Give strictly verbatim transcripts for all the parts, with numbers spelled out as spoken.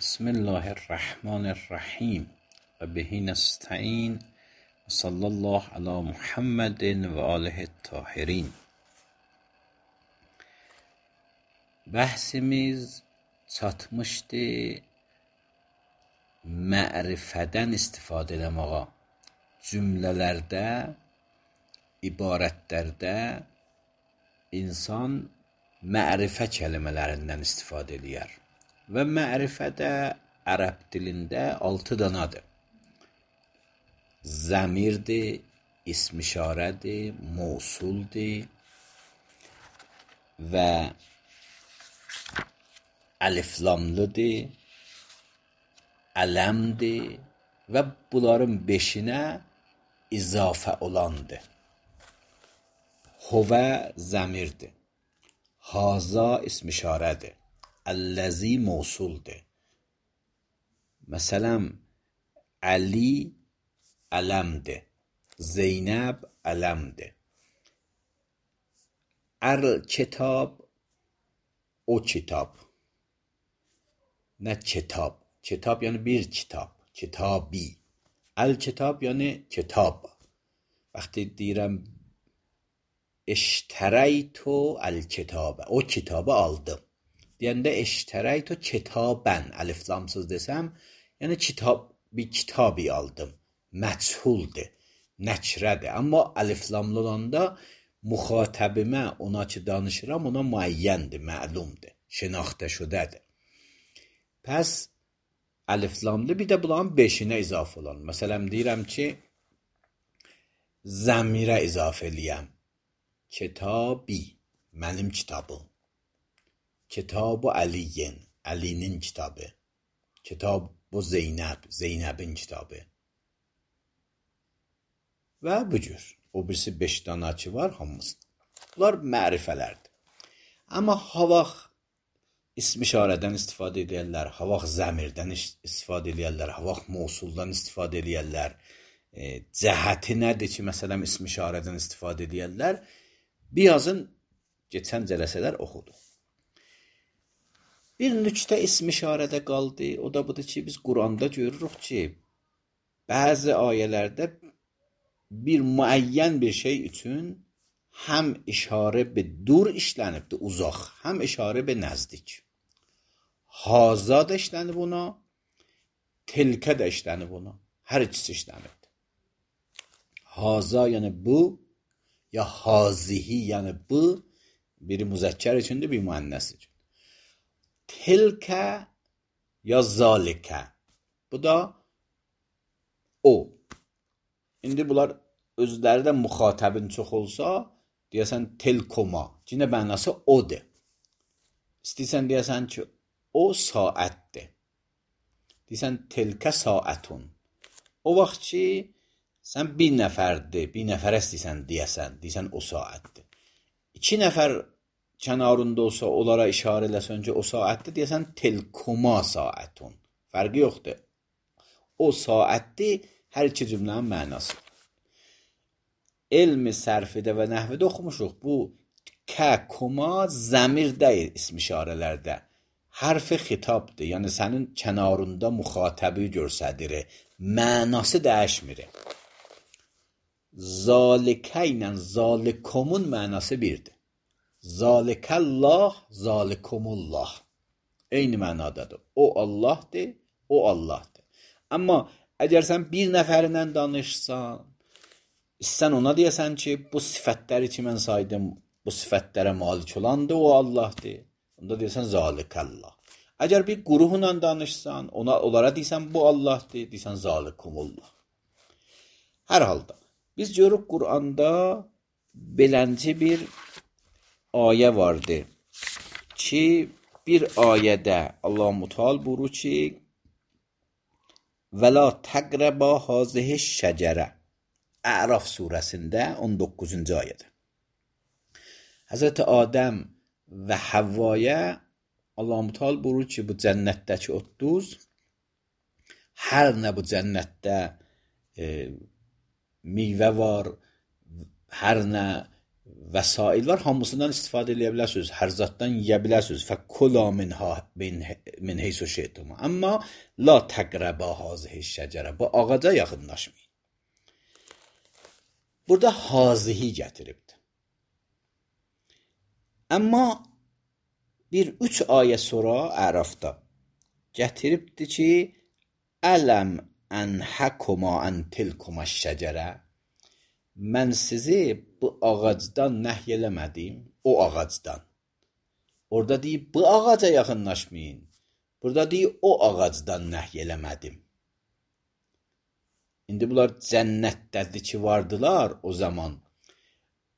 بسم الله الرحمن الرحیم و به نستعین و صلی الله علی محمد و آله الطاهرین. Bəhsimiz çatmışdı mərifədən istifadə eləməyə. Cümlələrdə, ibarətlərdə insan mərifə kəlimələrindən istifadə eləyər. Və mərifə də ərəb dilində altı danadır. Zəmirdir, ism-işarədir, mövsuldur və əliflamlıdır, ələmdir və bunların beşinə izafə olandır. Huvə zəmirdir, haza ism-işarədir, əlləzi mövsuldur. Məsələn, Əli ələmdir, Zeynəb ələmdir. Əl-kitab o kitab. Nə kitab? Kitab yəni bir kitab, kitabi. Əl-kitab yəni kitab. Vaxtı deyirəm eştərəytu əl-kitabə, o kitabı aldım. Deyəndə eştərəytu kitabən, əliflamsız desəm, yəni kitab, bir kitabi aldım. Məchuldur, nəkrədir. Amma əliflamlı olanda müxatəbimə, ona ki danışıram, ona müəyyəndir, məlumdur, şinaxtə şudədir. Pəs əliflamlı bir də bunların beşinə izafə olan. Məsələn, deyirəm ki, zəmirə izafə eləyəm. Kitabi, mənim kitabım. Kitab-ı Əliyin, Əlinin kitabı. Kitab-ı Zeynəb, Zeynəbin kitabı. Və bu cür. O birisi beş dana ki var, hamısı. Bunlar mərifələrdir. Amma havaq ism-işarədən istifadə edərlər, havaq zəmirdən istifadə edərlər, havaq mövsuldan istifadə edərlər. E, cəhəti nədir ki, məsələn, ism-işarədən istifadə edərlər? Birazın keçən cələsələr oxudu. Bir nüktə ism-işarədə qaldı. O da budur ki, biz Quranda görürük ki, bəzi ayələrdə bir müəyyən bir şey üçün həm işarə be dur işlənibdir, uzaq, həm işarə be nəzdik. Haza da işlənib ona, tilkə də işlənib ona. Hər ikisi işlənibdir. Haza yəni bu, ya hazihi yəni bu, biri müzəkkər üçündür, bir müənnəs üçün. Tilkə ya zalikə. Bu da o. İndi bunlar özləri də müxatəbin çox olsa, deyəsən telkoma. Cinə mənası odur. İstəyirsən deyəsən ki, o saətdir. Deyəsən telkə saətun. O vaxt ki, sən bir nəfərdir, bir nəfərə istəyirsən deyəsən, deyəsən o saətdir. İki nəfər kənarında olsa, onlara işarə eləsən ki, o saətdir, deyəsən telkoma saətun. Fərqi yoxdur. O saətdir, hər iki cümlənin mənası. Elmi sərfidə və nəhvədə oxumuşuq. Bu kə, koma zəmir deyil ism-işarələrdə. Hərfi xitabdır. Yəni sənin kənarında müxatəbi görsədir. Mənası dəyişmir. Zalikə ilə zalikomun mənası birdir. Zalikəllah, zalikumullah. Eyni mənadadır. O Allahdır, o Allahdır. Amma əgər sən bir nəfərindən danışsan, sən ona deyəsən ki, bu sifətləri ki, mən saydım, bu sifətlərə malik olandır, o Allahdır. Onda deyəsən, zalikəllah. Əgər bir quruhla danışsan, ona, onlara deyəsən, bu Allahdır, deyəsən, zalikumullah. Hər halda, biz görürük Quranda belənci bir ayə vardır ki, bir ayədə Allah-u Teala buyurur ki, və la təqrəbə hazihi şəcərə. Əraf surəsində on doqquzuncu ayədə. Həzrəti Adəm və Həvvaya Allah-u Teala buyurur ki, bu cənnətdəki otuz, hər nə bu cənnətdə e, meyvə var, hər nə vəsail var, hamısından istifadə edə bilərsiniz, hər zaddan yeyə bilərsiniz. Fəkula minha min heysu şeytum. Amma la təqrəbə hazihi şəcərə. Bu ağaca yaxınlaşmayın. Burada hazihi gətiribdir. Amma bir üç ayə sonra Ərafda gətiribdir ki, ələm ənhəkuma ən tilkuma şəcərə. Mən sizi bu ağacdan nəhy eləmədim, o ağacdan. Orada deyib, bu ağaca yaxınlaşmayın. Burada deyib, o ağacdan nəhy eləmədim. İndi bunlar cənnətdədir ki, vardılar o zaman.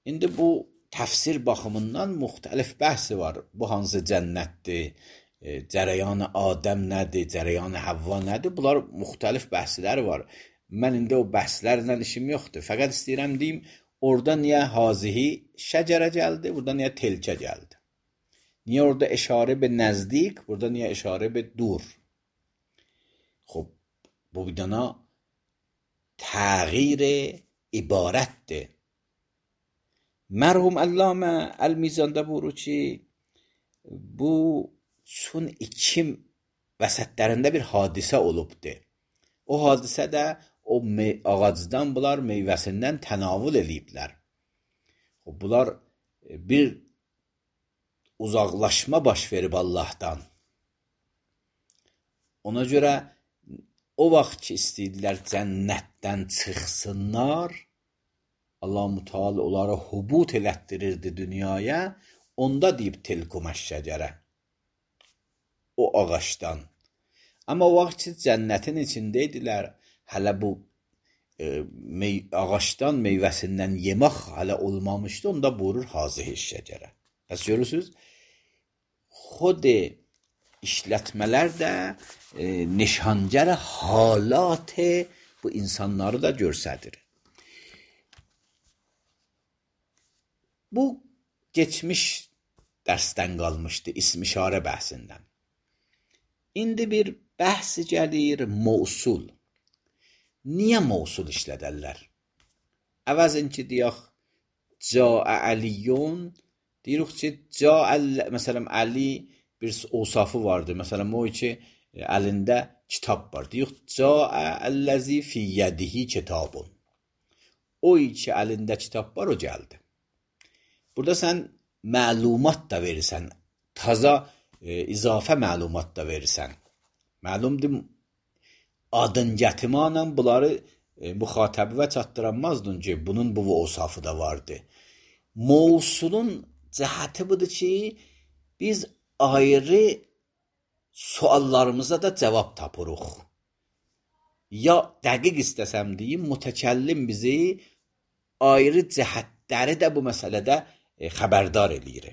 İndi bu təfsir baxımından müxtəlif bəhsi var. Bu hansı cənnətdir, e, cərəyanı Adəm nədir, cərəyanı Havva nədir? Bunlar müxtəlif bəhsləri var. Mən indi o bəhslərlə işim yoxdur. Fəqət istəyirəm deyim, orada niyə hazihi şəcərə gəldi, burada niyə telkə gəldi? Niyə orada işarə be nəzdik, burada niyə işarə be dur? Xub, bu bir dana təğyir ibarətdir. Mərhum Əllamə Əl-Mizanda buyurur ki, bu çün iki vəsətlərində bir hadisə olubdur. O hadisə də o ağacdan bunlar meyvəsindən tənavül eləyiblər. Bunlar bir uzaqlaşma baş verib Allahdan. Ona görə o vaxt ki istəydilər cənnətdən çıxsınlar, Allah-u Teala onları hubut elətdirirdi dünyaya, onda deyib tilkuməş şəcərə. O ağaçdan. Amma o vaxt ki cənnətin içindəydilər, hələ bu e, mey ağaçdan meyvəsindən yemək hələ olmamışdı, onda buyurur hazihi şəcərə. Bəs görürsünüz, xod işlətmələr də e, nişangər halat bu insanları da göstərir. Bu geçmiş dərsdən qalmışdı, ism-işarə bəhsindən. İndi bir bəhsi gəlir mövsul. Niyə mövsul işlədərlər? Əvəzin ki, deyək, Câə Əliyyun, deyirik ki, Câə, məsələn, Əli bir osafı vardır. Məsələn, o ki, əlində kitab var. Deyirik, Câə əlləzi fi yədihi kitabun. O ki, əlində kitab var, o gəldi. Burada sən məlumat da verirsən, taza e, izafə məlumat da verirsən. Məlumdur, adın gətimanla bunları e, müxatəbə çatdıranmazdın ki, bunun bu osafı da vardı. Mövsulun cəhəti budur ki, biz ayrı suallarımıza da cavab tapırıq. Ya dəqiq istəsəm deyim, mütəkəllim bizi ayrı cəhətləri də bu məsələdə e, xəbərdar eləyir.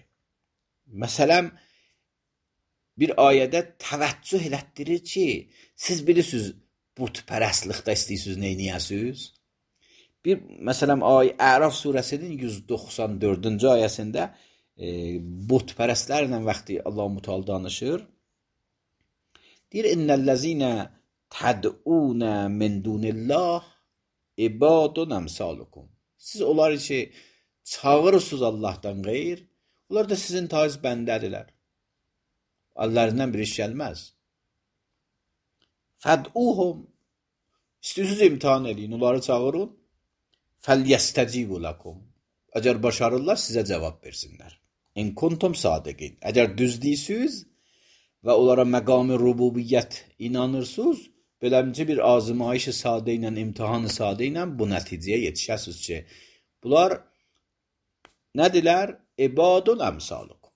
Məsələn, bir ayədə təvəccüh elətdirir ki, siz bilirsiniz, butpərəstlikdə istəyirsiniz, neyniyəsiniz? Bir, məsələn, ay Əraf surəsinin yüz doxsan dördüncü ayəsində e, butpərəstlərlə vaxtı Allah-u Teala danışır. Deyir, İnnəl-ləzinə təd'unə min dunillah ibadun əmsalukum. Siz onlar ki, çağırırsınız Allahdan qeyr, onlar da sizin taiz bəndədirlər. Əllərindən bir iş gəlməz. Fəd'uhum, istəyirsiniz imtihan edin, onları çağırın. Fəlyəstəcibu lakum. Əgər başarırlar, sizə cavab versinlər. İn kuntum sadiqin. Əgər düz deyirsiniz və onlara məqam-ı rububiyyət inanırsınız, beləmcə bir azmayış-ı sadə ilə, imtihan-ı sadə ilə bu nəticəyə yetişəsiniz ki, bunlar nədirlər? İbadun əmsalukum.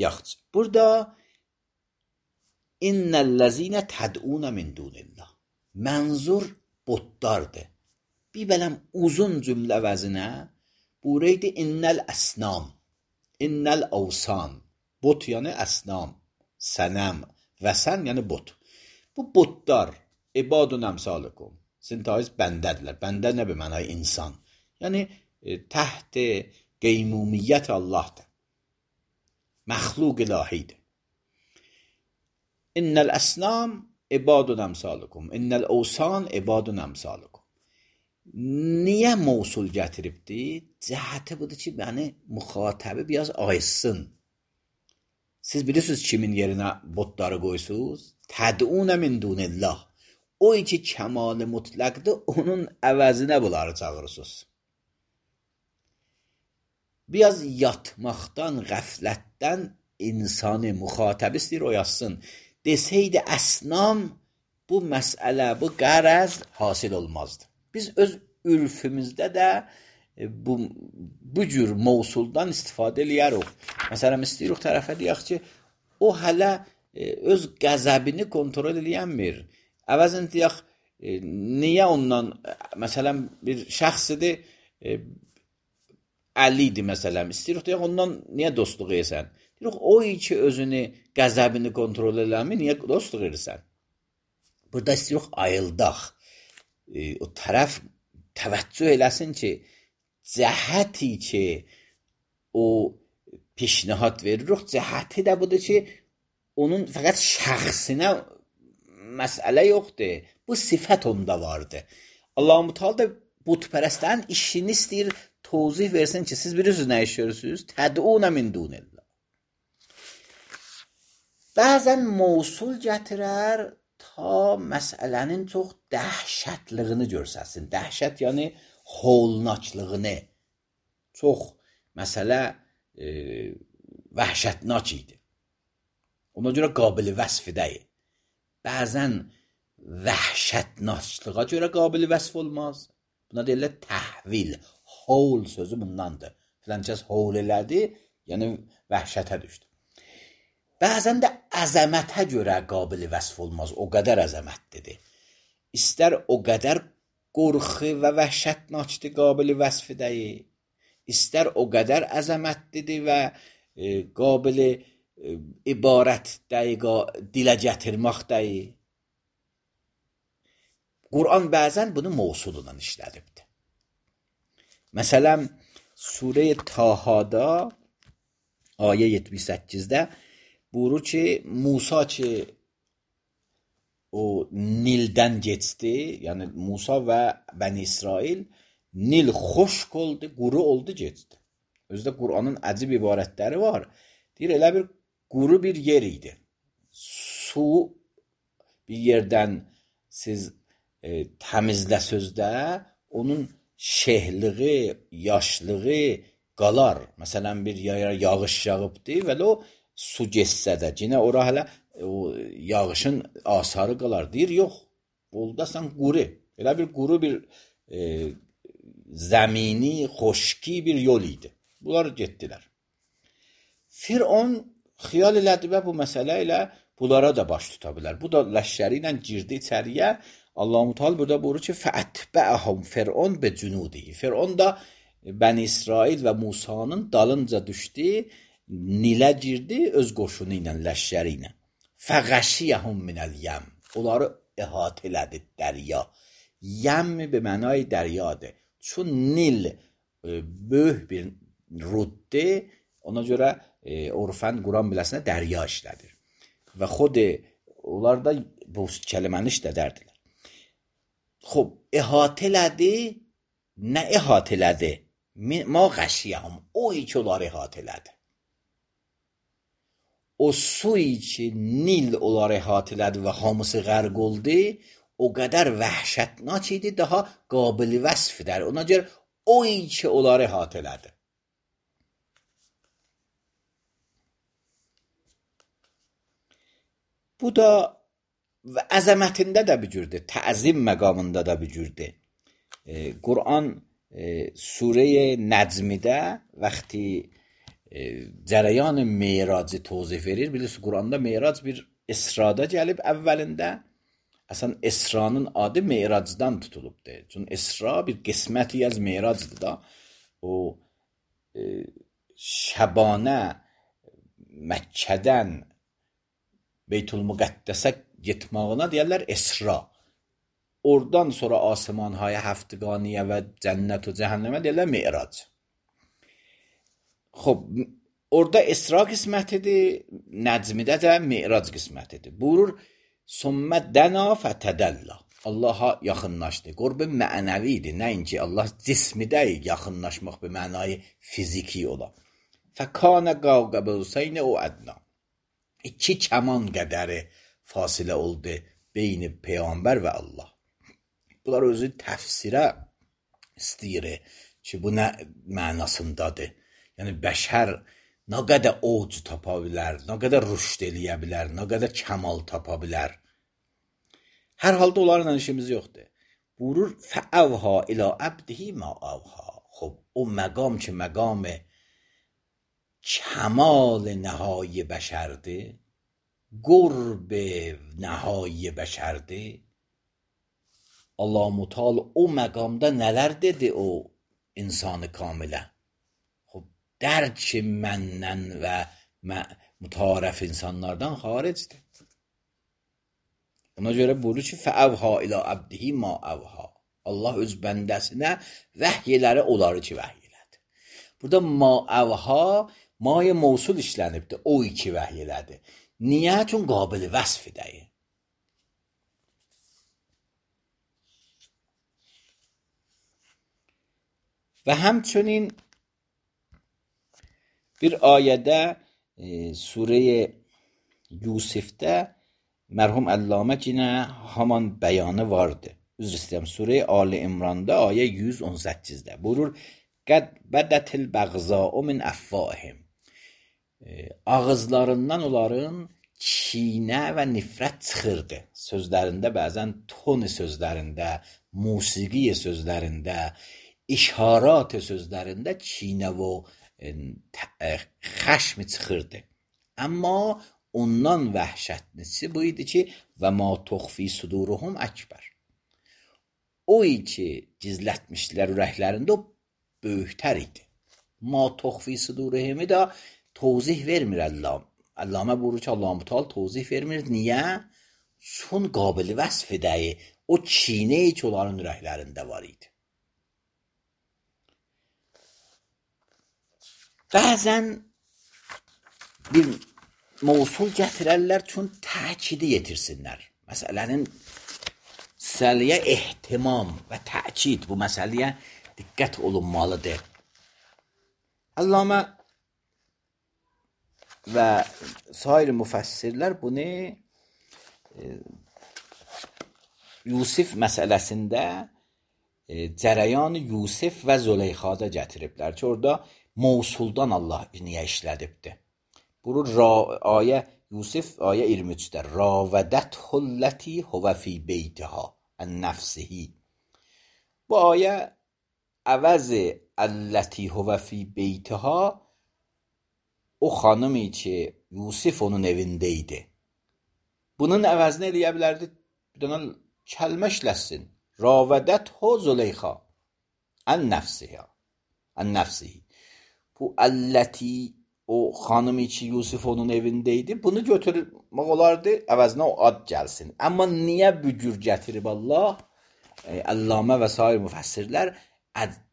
Yaxşı, burada İnnəl-ləzinə təd'unə min dunillah. Mənzur botlardır. Bir bələm uzun cümlə vəzinə buraydı innəl əsnam, innəl avsan. Bot yəni əsnam, sənəm, vəsən yəni bot. Bu botlar, ibadun əmsalukum. Sizin taiz bəndədirlər. Bəndə nə bir mənay insan. Yəni e, təht qeymumiyyət Allahdır. Məxluq ilahidir. İnnəl əsnam ibadun əmsalukum. İnnəl avsan ibadun əmsalukum. Niyə mövsul gətiribdir? cəhəti budur ki, yəni müxatəbi biraz ayısın. Siz bilirsiniz kimin yerinə botları qoysunuz? Təd'unə min dunillah. O iki kəmal-i mutlaqdır, onun əvəzinə bunları çağırırsınız. Biraz yatmaqdan, qəflətdən insanı müxatəb istəyir oyasın. Deseydi əsnam, bu məsələ, bu qərəz hasil olmazdı. Biz öz ürfümüzdə də bu, bu cür mövsuldan istifadə eləyərik. Məsələn, istəyirik tərəfə deyək ki, o hələ öz qəzəbini kontrol eləyənmir. Əvəzən deyək, niyə ondan, məsələn, bir şəxsidir, əlidir məsələn, istəyirik deyək, ondan niyə dostluq edirsən? Deyək, o ki özünü, qəzəbini kontrol eləmir, niyə dostluq edirsən? Burada istəyirik ayıldaq. O tərəf təvəccüh eləsin ki, cəhəti ki, o pişnihat veririk, cəhəti də budur ki, onun fəqət şəxsinə məsələ yoxdur. Bu sifət onda vardır. Allah-u Teala da butpərəstlərin işini istəyir, tozih versin ki, siz bilirsiniz nə iş görürsünüz? Təd'unə min dunillah. Bəzən mövsul gətirər ta məsələnin çox dəhşətliyini görsəsin. Dəhşət yəni holnaçlığını. Çox məsələ e, vəhşətnak idi. Ona görə qabili vəsf deyil. Bəzən vəhşətnaçlığa görə qabili vəsf olmaz. Buna deyirlər təhvil. Hol sözü bundandır. Filankəs hol elədi, yəni vəhşətə düşdü. Bəzən də əzəmətə görə qabili vəsf olmaz. O qədər əzəmətlidir. İstər o qədər qorxu və vəhşətnaçdır qabili vəsf deyil. İstər o qədər əzəmətlidir və e, qabili e, ibarət deyil, dilə gətirmək deyil. Quran bəzən bunu mövsulundan işlədibdir. Məsələn, Surə-i Tahada ayə yetmiş səkkizdə buyurur ki, Musa ki o Nildən geçdi, yəni Musa və Bəni İsrail, Nil xoşq oldu, quru oldu, geçdi. Özdə Quranın əcib ibarətləri var. Deyir, elə bir quru bir yer idi. Su bir yerdən siz e, təmizləsöz də onun şehliği, yaşlığı qalar. Məsələn, bir yağış yağıbdı və o su geçsə də, yenə ora hələ o yağışın asarı qalar. Deyir, yox, oldasan quru. Elə bir quru bir e, zəmini, xoşki bir yol idi. Bunlar getdilər. Firon xiyal elədi və bu məsələ ilə bunlara da baş tuta bilər. Bu da ləşkəri ilə girdi içəriyə. Allah-u Teala burada buyurur ki, fəətbəəhum Firon be cunudi. Firon da Bəni İsrail və Musanın dalınca düşdü, Nilə girdi öz qoşunu ilə, ləşkəri ilə. Fəğəşiyəhum minəl yəm. Onları əhatə elədi dərya. Yəm be mənay dəryadır. Çün Nil e, böyük bir ruddir, ona görə e, orfən Quran biləsinə dərya işlədir. Və xod onlar da bu kəliməni işlədərdilər. Xob, əhatə elədi, nə əhatə elədi? Ma qəşiyəm, o iki onları əhatə elədi. O suyu ki, Nil onları əhatə elədi və hamısı qərq oldu, o qədər vəhşətnak idi, daha qabili vəsfdir. Ona görə o iki onları əhatə elədi. Bu da və əzəmətində də bir cürdür, təzim məqamında da bir cürdür. E, Quran e, Surə-i Nəcmidə vaxtı e, cərəyan-ı meyracı tozif verir. Bilirsiniz, Quranda meyrac bir İsrada gəlib əvvəlində. Əsən İsranın adı meyracdan tutulubdur. Çünki İsra bir qisməti az meyracdır da. O e, Şəbanə Məkkədən Beytül-Müqəddəsə getmağına deyərlər İsra. Oradan sonra asmanhaya, həftəqaniyə və cənnət və cəhənnəmə deyərlər Me'rac. Xob, orada İsra qismətidir, Nəcmidə də Me'rac qismətidir. Buyurur, Sümmə dəna fətədəllə. Allaha yaxınlaşdı. Qurb mənəvidir, nəinki Allah cismi deyil, yaxınlaşmaq bir mənayı fiziki ola. Fəkənə qavqə qavseyn o ədna. İki kəman qədəri fasilə oldu beyni Peyğəmbər və Allah. Bunlar özü təfsirə istəyir ki, bu nə mənasındadır. Yəni, bəşər nə qədər oc tapa bilər, nə qədər rüşd eləyə bilər, nə qədər kəmal tapa bilər. Hər halda onlarla işimiz yoxdur. Buyurur, fəəvha ilə əbdihi ma əvha. Xub, o məqam ki, məqam kəmal nəhai bəşərdir, qurb nəhai bəşərdir. Allah-u Mutal o məqamda nələr dedi o insanı kamilə? Xub, dərk məndən və mütarəf insanlardan xaricdir. Ona görə buyurur ki, fəəvha ilə əbdihi ma əvha. Allah öz bəndəsinə vəhiyləri onları ki, vəhiy elədi. Burada ma əvha, maya mevsul işlənibdir, o iki vəhiy elədi. Niyə? Çün qabil vəsf edəyi. Və həmçinin bir ayədə e, Surə-i Yusifdə mərhum Əllamə yenə haman bəyanı vardı. Üzr istəyirəm, Surə-i Ali İmranda ayə yüz on səkkizdə buyurur: "Qəd bədətil bəğzâ'u min əffâhim." Ağızlarından onların kinə və nifrət çıxırdı. Sözlərində bəzən toni sözlərində, musiqi sözlərində, işarat sözlərində kinə və xəşm çıxırdı. Amma ondan vəhşətlisi bu idi ki, və ma tuxfi suduruhum əkbər. O ki, gizlətmişdilər ürəklərində, o böyüktər idi. Ma tuxfi suduruhumu da tozih vermir Allah. Allamə buyurur ki, Allah-u Mutal tozih vermir. Niyə? Çün qabili vəsf edəyi, o kinə ki, onların ürəklərində var idi. Bəzən bir mevsul gətirərlər çün təkidi yetirsinlər. Məsələnin məsələyə ehtimam və təkid bu məsələyə diqqət olunmalıdır. Allamə və sair müfəssirlər bunu e, Yusif məsələsində e, cərəyan Yusif və Züleyxada gətiriblər ki, orada mevsuldan Allah niyə işlədibdir. Buyurur ayə Yusif ayə iyirmi üçdə Ravədəthullati huvə fi beytiha ən nəfsihi. Bu ayə əvəzi əlləti huvə fi beytiha, o xanımı ki Yusif onun evində idi. Bunun əvəzini eləyə bilərdi, bir dənə kəlmə işləsin. Ravədəthu Züleyxa ən nəfsiha ən nəfsihi. Bu əlləti, o xanımı ki Yusif onun evindeydi, bunu götürmək olardı, əvəzinə o ad gəlsin. Amma niyə bücür gətirib Allah? E, Allamə və sair müfəssirlər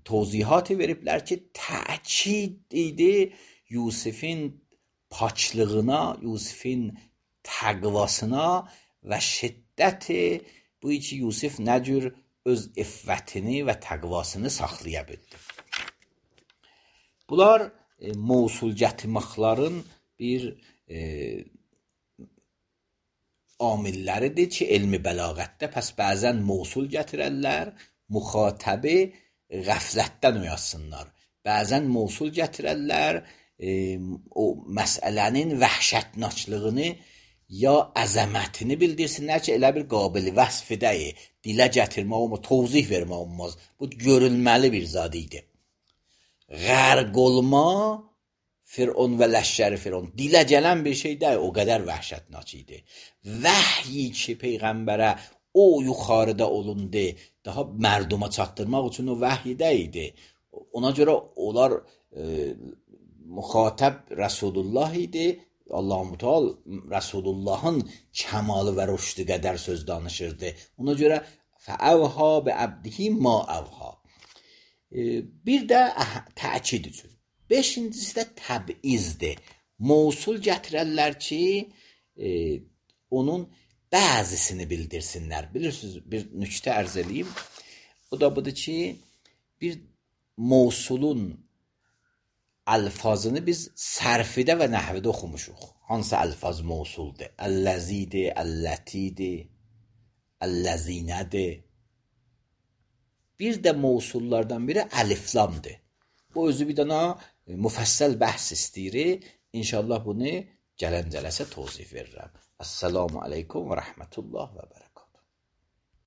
tozihatı veriblər ki, təkid idi Yusifin paçlığına, Yusifin təqvasına və şiddəti bu ki Yusif nə cür öz iffətini və təqvasını saxlaya bildi. Bunlar e, mevsul gətirməklərin bir e, amilləridir ki, elmi bəlağətdə pəs bəzən mevsul gətirərlər, müxatəbi qəflətdən oyatsınlar. Bəzən mevsul gətirərlər, e, o məsələnin vəhşətnaçlığını ya əzəmətini bildirsinlər ki, elə bir qabili vəsf edəyi, dilə gətirmək olmaz, tozih vermək olmaz. Bu görülməli bir zad idi. Qərq olma Firon və ləşşəri Firon. Dilə gələn bir şey deyil, o qədər vəhşətnaç idi. Vəhyi ki, Peyğəmbərə o yuxarıda olundu, daha mərduma çatdırmaq üçün o vəhyidə idi. Ona görə onlar e, müxatəb Rəsulullah idi. Allah-u Mutal Rəsulullahın kəmalı və rüşdü qədər söz danışırdı. Ona görə fəəvha bi əbdihi ma əvha. Bir də təkid üçün. Beşincisi də təbizdir. Mevsul gətirərlər ki, e, onun bəzisini bildirsinlər. Bilirsiniz, bir nüktə ərz edeyim. O da budur ki, bir mövsulun əlfazını biz sərfidə və nəhvidə oxumuşuq. Hansı əlfaz mövsuldur? Əlləzidir, əllətidir, əlləzinədir. Bir də mövsullardan biri əliflamdır. Bu özü bir dana müfəssəl bəhs istəyir. İnşallah bunu gələn cələsə tozif verirəm. Əssalamu aleykum və rəhmətullah və bərəkət.